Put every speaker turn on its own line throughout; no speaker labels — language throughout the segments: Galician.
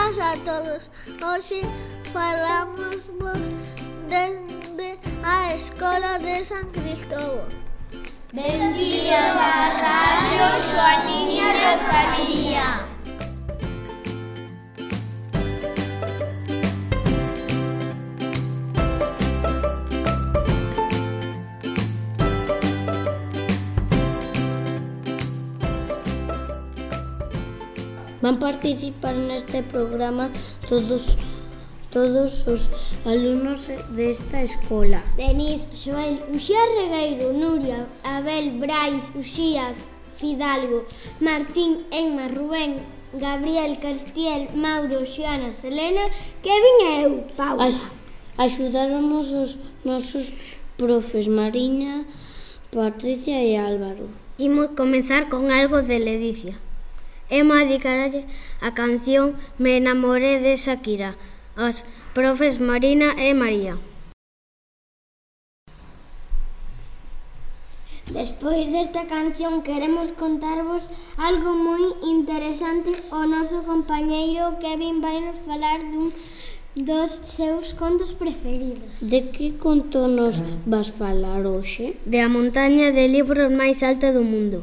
Benvidas a todos. Hoxe falamos desde a Escola de San Cristóbal.
Benvidas a Radio Xoaniña Rosalía.
Van participar neste programa todos os alumnos desta escola.
Denis, Joel, Uxía Regueiro, Nuria, Abel, Brais, Uxía, Fidalgo, Martín, Emma, Rubén, Gabriel, Castiel, Mauro, Xoana, Selena, Kevin e eu, Paula.
Axudáronos os nosos profes Mariña, Patricia e Álvaro.
Imos comezar con algo de Ledicia. Emma dedicarlle a canción Me enamoré de Shakira aos profes Marina e María.
Despois desta canción queremos contarvos algo moi interesante. O noso compañeiro Kevin vai nos falar dun dos seus contos preferidos.
De que conto nos vas falar hoxe?
De a montaña de libros máis alta do mundo.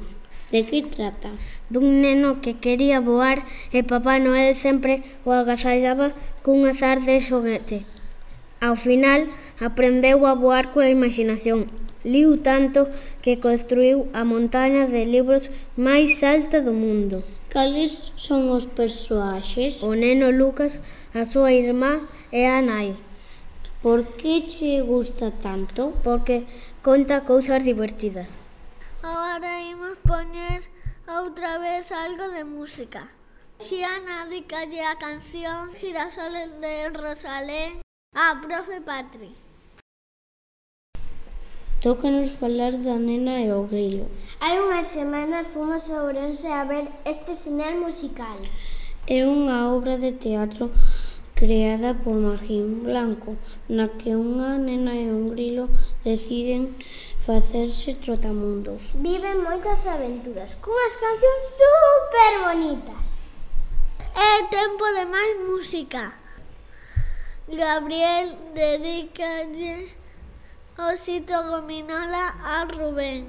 De que trata?
Dun neno que quería voar e Papá Noel sempre o agasallaba cun azar de xoguete. Ao final, aprendeu a voar coa imaginación. Liu tanto que construiu a montaña de libros máis alta do mundo.
Cales son os persoaxes?
O neno Lucas, a súa irmá e a nai.
Por que che gusta tanto?
Porque conta cousas divertidas.
Agora imos poñer outra vez algo de música. Xiana dedicalle a canción Girasoles de Rosalén a profe Patri.
Tócanos falar da Nena e o Grilo.
Hai unhas semanas fomos a Ourense a ver este sinal musical.
É unha obra de teatro creada por Magín Blanco, na que unha nena e un grilo deciden facerse trotamundos.
Viven moitas aventuras, cunhas cancións super bonitas.
É tempo de máis música. Gabriel dedicalle Osito Gominola a Rubén.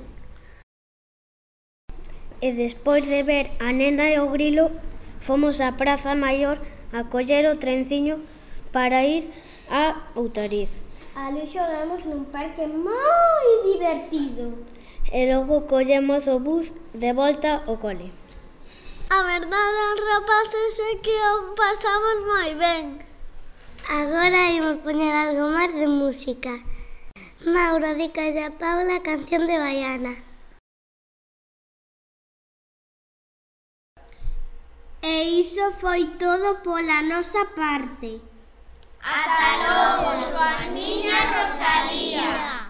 E despois de ver a Nena e o Grilo, fomos á Praza Maior a coller o trenciño para ir a Outariz.
Ali xogamos nun parque moi divertido.
E logo collemos o bus de volta ao cole.
A verdade, rapaces, é que o pasamos moi ben.
Agora imos poñer algo máis de música. Mauro dedicalle a Paula a canción de Baiana. E iso foi todo pola nosa parte.
Ata logo, Xoaniña Rosalía.